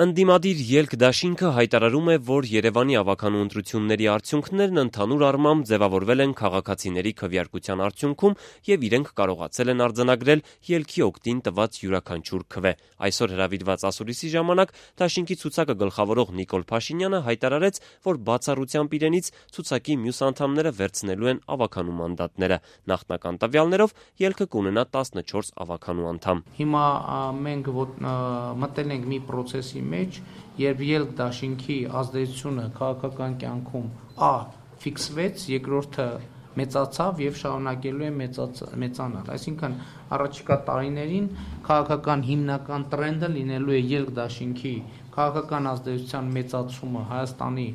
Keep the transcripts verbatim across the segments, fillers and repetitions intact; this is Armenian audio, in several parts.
Ընդդիմադիր ելք դաշինքը հայտարարում է, որ Երևանի ավականու ընտրությունների արդյունքներն ընդհանուր առմամբ ձևավորվել են քաղաքացիների քվեարկության արդյունքում եւ իրենք կարողացել են արձանագրել ելքի օգտին տված յուրաքանչյուր քվե։ Այսօր հրավիրված ասուլիսի ժամանակ դաշինքի ցուցակը գլխավորող Նիկոլ Փաշինյանը հայտարարեց, որ բացառությամբ իրենից ցուցակի մյուս անդամները վերցնելու են ավականու մանդատները։ Նախնական տվյալներով ելքը կունենա տասնչորս ավականու անդամ։ Հիմա մենք մտել ենք մի process-ի մեջ, երբ ելք դաշինքի ազդեցությունը քաղաքական կյանքում ա ֆիքսվեց, երկրորդը մեծացավ եւ շարունակելու է մեծանալ։ Այսինքն առաջիկա տարիներին քաղաքական հիմնական տրենդը լինելու է ելք դաշինքի քաղաքական ազդեցության մեծացումը Հայաստանի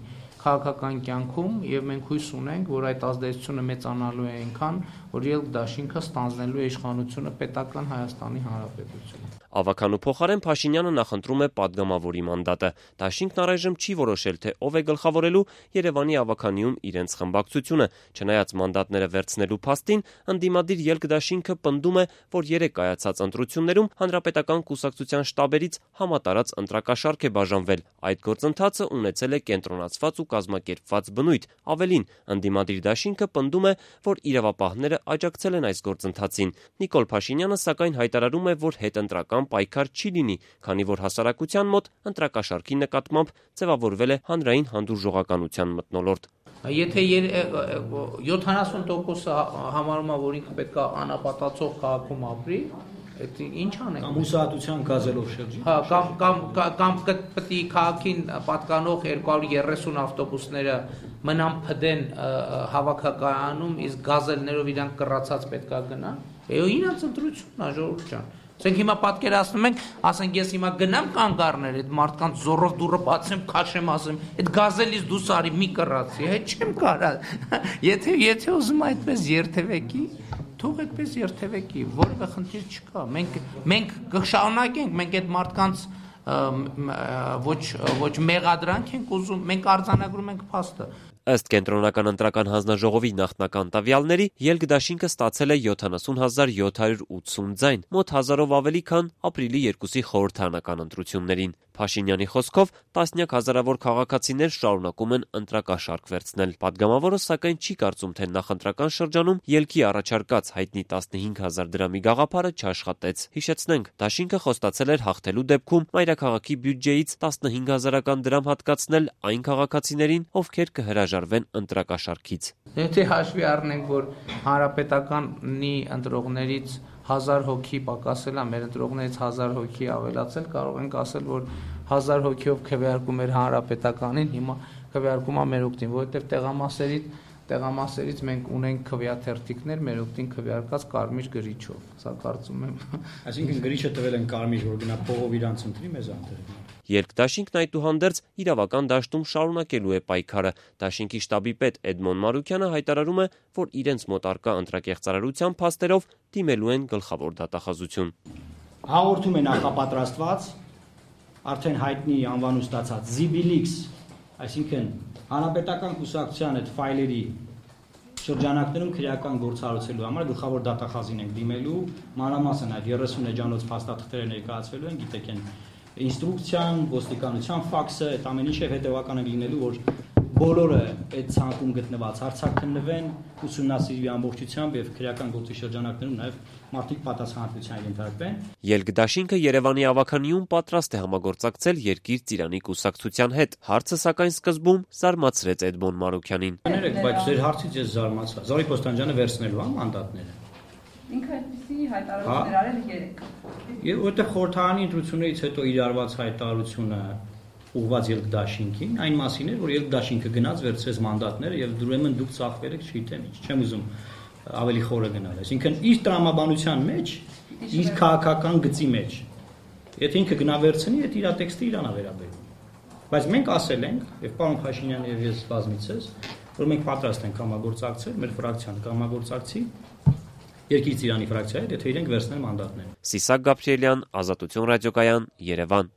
քաղաքական կյանքում եւ մենք հույս ունենք, որ այդ ազդեցությունը մեծանալու է այնքան, որ ելք դաշինքը ստանձնելու է իշխանությունը պետական Հայաստանի Հանրապետությունում։ Ավականու փոխարեն Փաշինյանը նախընտրում է падգամավորի մանդատը։ Դաշինքն առայժմ չի որոշել, թե ով է գլխավորելու Երևանի ավականիում իրենց խմբակցությունը։ Չնայած մանդատները վերցնելու փաստին, ընդդիմադիր ելք դաշինքը պնդում է, որ երեք կայացած ընտրություններում հանրապետական կուսակցության շտաբերից համատարած ընտրակաշառք է բաժանվել։ Այդ գործընթացը ունեցել է կենտրոնացված ու կազմակերպված բնույթ։ Ավելին, ընդդիմադիր դաշինքը պնդում է, որ իրավապահները աջակցել են այս գործընթացին։ Նիկոլ Փաշինյանը սակայն հայտարարում է, որ հետընտրական պայքար չի լինի, քանի որ հասարակության մոտ ընտրակաշառքի նկատմամբ ձևավորվել է հանրային հանդուրժողականության մթնոլորտ։ Եթե յոթանասուն տոկոսը համարում է, որ ինքը պետք է անապատացող քաղաքում ապրի, այդ ինչ անենք։ Կամ հուսահատության գազելով շրջի։ Հա, կամ կամ կամ պետք է քաղաքին պատկանող երկու հարյուր երեսուն ավտոբուսները մնան փդեն հավաքակայանում, իսկ գազելներով իրանք կռացած պետք է գնան։ Եո իրաց ընտրությունն է, ժողովուրդ ջան։ Ասենք հիմա պատկերացնում ենք, ասենք ես հիմա գնամ կանգ առնել այդ մարդկանց զորով դուռը բացեմ, քաշեմ, ասեմ, այդ գազելից դուս արի մի կռացի, հետ չեմ կարա։ Եթե եթե ուզում այդպես երթևեկի, թող այդպես երթևեկի, որևէ խնդիր չկա։ Մենք մենք կշարունակենք, մենք այդ մարդկանց ոչ ոչ մեղադրանք ենք ուզում, մենք արձանագրում ենք փաստը։ Ըստ կենտրոնական ընտրական հանձնաժողովի նախնական տվյալների, ելք դաշինքը ստացել է յոթանասուն հազար յոթ հարյուր ութսուն ձայն, մոտ հազարով ավելի, քան ապրիլի երկուսի խորհրդարանական ընտրություններին։ Փաշինյանի խոսքով, տասնյակ հազարավոր քաղաքացիներ շարունակում են ընտրակաշառք վերցնել։ Պատգամավորը սակայն չի կարծում, թե նախընտրական շրջանում ելքի առաջարկած հայտնի տասնհինգ հազար դրամի գաղափարը չաշխատեց։ Հիշեցնենք, դաշինքը խոստացել էր հաղթելու դեպքում մայրաքաղաքի բյուջեից տասնհինգ հազարական դրամ հատկացնել այն քաղաքացիներին, ովքեր կհրաժարվեն ընտրակաշառքից։ Եթե հաշվի առնենք, որ հանրապետականի ընտրողներից հազար հոգի պակասել է, մեր ընտրողներից հազար հոգի ավելացել, կարող ենք ասել, որ հազար հոգիով քվեարկում էր հանրապետականին, հիմա քվեարկում է մեր օգտին, որովհետև տեղամասերից տեղամասերից մենք ունենք քվեաթերթիկներ մեր օգտին քվեարկած կարմիր գրիչով։ Սա կարծում եմ։ Այսինքն գրիչը տվել են կարմիր, որ գնա փողով իրանց ընտրի մեզ անտեր։ Ելք դաշինքն այդուհանդերձ իրավական դաշտում շարունակելու է պայքարը։ Դաշինքի շտաբի պետ Էդմոն Մարուկյանը հայտարարում է, որ իրենց մոտ առկա ընտրակեղծարարության փաստերով դիմելու են գլխավոր դատախազություն։ Հաղորդում է նախապատրաստված արդեն հայտնի անվան ստացած Zibilix, այսինքն հանրապետական կուսակցության այդ ֆայլերի շրջանակներում քրեական գործառույթելու համար գլխավոր դատախազին ենք դիմելու, մանրամասն այդ երեսուն էջանոց փաստաթղթերը ներկայացվելու են, գիտեք են ինստրուկցիան, ոստիկանության ֆաքսը, այդ ամեն ինչը հետևական է լինելու, որ բոլորը այդ ցանկում գտնված հարցաքննվեն, ուսումնասիրվի ամբողջությամբ եւ քրեական գործի շրջանակներում նաեւ մարդիկ պատասխանատվության ենթարկվեն։ Ելք դաշինքը Երևանի ավականիում պատրաստ է համագործակցել երկիր ծիրանի կուսակցության հետ։ Հարցը սակայն սկզբում զարմացրեց Էդմոն Մարուկյանին։ Ներեք, բայց ձեր հարցից ես զարմացա։ Զորի Պոստանջյանը վերցնելու է մանդատները։ Ինքը այդպիսի հայտարարություններ արել երեք։ Եվ որտեղ խորհրդարանի ընտրություններից հետո իրարված հայտարարությունը ուղղված ելք դաշինքին, այն մասին էր, որ ելք դաշինքը գնաց վերցրեց մանդատները եւ ուրեմն դուք ծախվել եք, չգիտեմ ինչ, չեմ ուզում ավելի խորը գնալ։ Այսինքն իր տրամաբանության մեջ, իր քաղաքական գծի մեջ, եթե ինքը գնա վերցնի, այդ իր տեքստը իրան է վերաբերում։ Բայց մենք ասել ենք, եւ պարոն Փաշինյանը եւ ես բազմիցս, որ մենք պատրաստ ենք համագործակցել, մեր ֆրակցիան կհամագործակցի Երկիր ծիրանի ֆրակցիայի հետ, եթե իրենք վերցնեն մանդատները։ Սիսակ Գաբրիելյան, Ազատություն ռադիոկայան, Երևան։